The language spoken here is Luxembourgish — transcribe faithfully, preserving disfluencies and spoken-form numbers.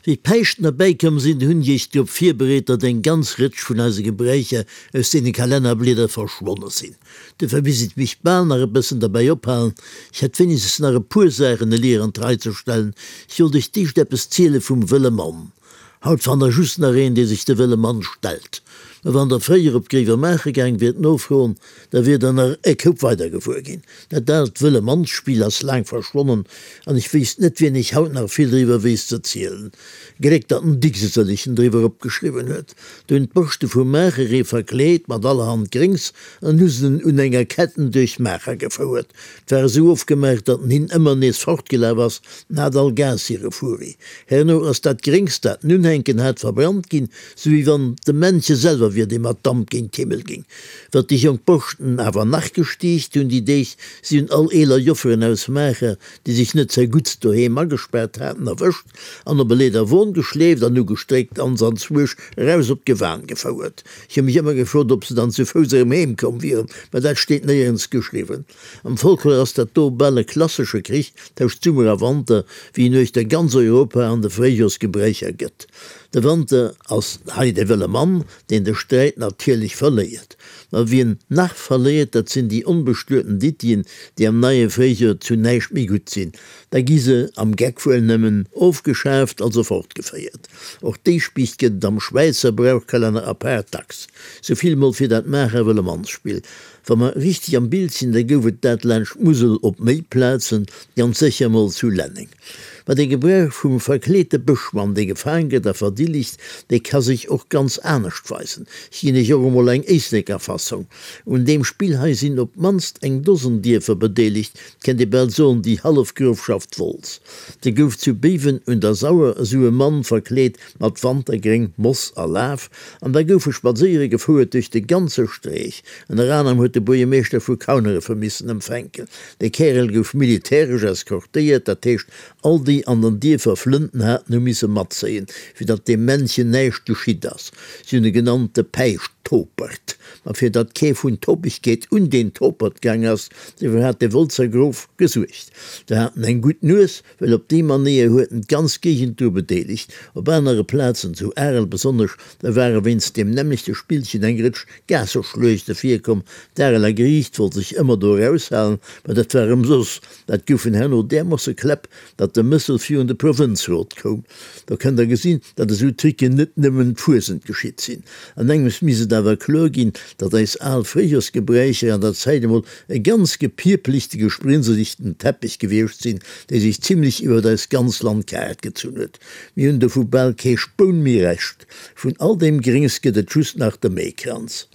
Wéi d'Päischten erbäikomm sinn, hunn ech ech drop virbereet, datt eng ganz Rëtsch vun eise Gebräicher aus deene Kalennerblieder verschwonne sinn. Dofir misst ech mech bal nach e bëssen derbäi ophalen. Ech hätt wéinegstens nach e puer Saachen elier an d'Rei ze stellen. Ech wollt iech d'éischt eppes ziele vum wëlle Mann. Haut fannt der just nach een, dee sech de wëlle Mann stellt. Mä wann der fréier op Gréiwemaacher gaang wiert nofroen, da wiert der nach e Koup weider gewuer ginn. Dat aalt wëlle Mannsspill ass laang verschwonnen an ech wéisst net, wien iech haut nach vill driwwer weess ze zielen. Gléck, datt den Dicks e sëllechen driwwer opgeschriwwen huet. Do hunn d'Boschte vu Maacher ee verkleet mat allerhand Gréngs an hu se en un enger Ketten duerch Maacher gefouert. 't war esou ofgemaach, datt en hinn ëmmer nees fortgelaf ass, en hat all Gaass hire Furi. Herno ass dat Gréngs, dat en unhänken hat, verbrannt ginn, sou wéi wann et de Männche selwer wier, dee mat Damp géint d'Himmel ging. Wat déi jonk Boschten awer nach gestiicht hunn déi Deeg, si hunn all eeler Jofferen aus Maacher, déi sech net zerguttst doheem agespaart haten, erwëscht an op e Leederwon geschleeft an ugestréckt an se anzwuesch eraus op d'Gewan gefouert. Ech hu mech ëmmer gefrot, ob se dann zu Fouss erëm heem komm wieren, mä dat steet néierens geschriwwen. Am Folklor ass dat do bal e klassesche Krich tëscht Summer a Wanter, wéi en uechter ganz Europa an de Fréijorsgebräicher gëtt. De Wanter ass hei de wëlle Mann, deen de Sträit natierlech verléiert. Ma wien nach verléiert, dat sinn déi onbestueten Dittien, déi am neie Fréijoer zu näischt méi gutt sinn. Da gi se am Geck wuel nëmmen ofgeschaaft, also fortgeféiert. Och déi Spiicht gëtt et am Schwäizer Brauchkalenner apaart dacks. Sou vill mol fir dat Maacher Wëlle-Manns-Spill. Wa mer richteg am Bild sinn, da gouf et dat laanscht d'Musel op méi Plazen, ganz sécher mol zu Lenneng. Ma de Gebrauch vum verkleete Bëschmann, dee gefaang gëtt a verdillegt, dee ka sech och ganz anescht weisen. Ech ginn iech och emol eng Éisleker Fassong. Un deem Spill hei sinn op d'mannst eng Dosen Dierfer bedeelegt, 't kennt ee bal soen, déi hallef Grofschaft Wolz. Da gouf zu Béiwen un der Sauer esou e Mann verkleet mat Wantergréng, Moss a Laf, an da gouf e spadséiere gefouert duerch de ganze Streech. Ënner anerem huet de Buergermeeschter vu Kauneref e missen empfänken. De Kärel gouf militäresch eskortéiert, dat heescht, all déi an den Dierfer Flënten haten, hu misse matzéien, fir datt deem Männchen näischt geschitt ass. Si hunn e genannt de Päischt-Topert. Ma fir datt kee vun Topegkeet un deen Topert gaang ass, dofir hat de Wolzer Grof gesuergt. Se haten eng gutt Nues, well op déi Manéier huet en d'ganz Géigend dru bedeelegt. Op anere Plazen, zu Arel besonnesch, da ware wéinst deem nämmlechte Spillchen eng Rëtsch Gaasseschluechte virkomm. D'Areler Geriicht wollt sech ëmmer do eraushalen, ma dat war ëmsoss. Dat goufen herno därmoosse Kläpp, datt de Mëssel virun de Provënzrot koum. Do kënnt der gesinn, datt esou Tricken net nëmmen d'Fuesent geschitt sinn. An engems misst et awer kloer ginn, datt eis al Fréijorsgebräicher an der Zäit emol e ganz gepierpelichte, gesprinseligten Teppich gewiescht sinn, dee sech zimlech iwwert eist ganz Landkaart gezunn huet. Mir hunn dovu bal kee Spoun méi Rescht. Vun all deem Gréngs gëtt et just nach de Méikranz.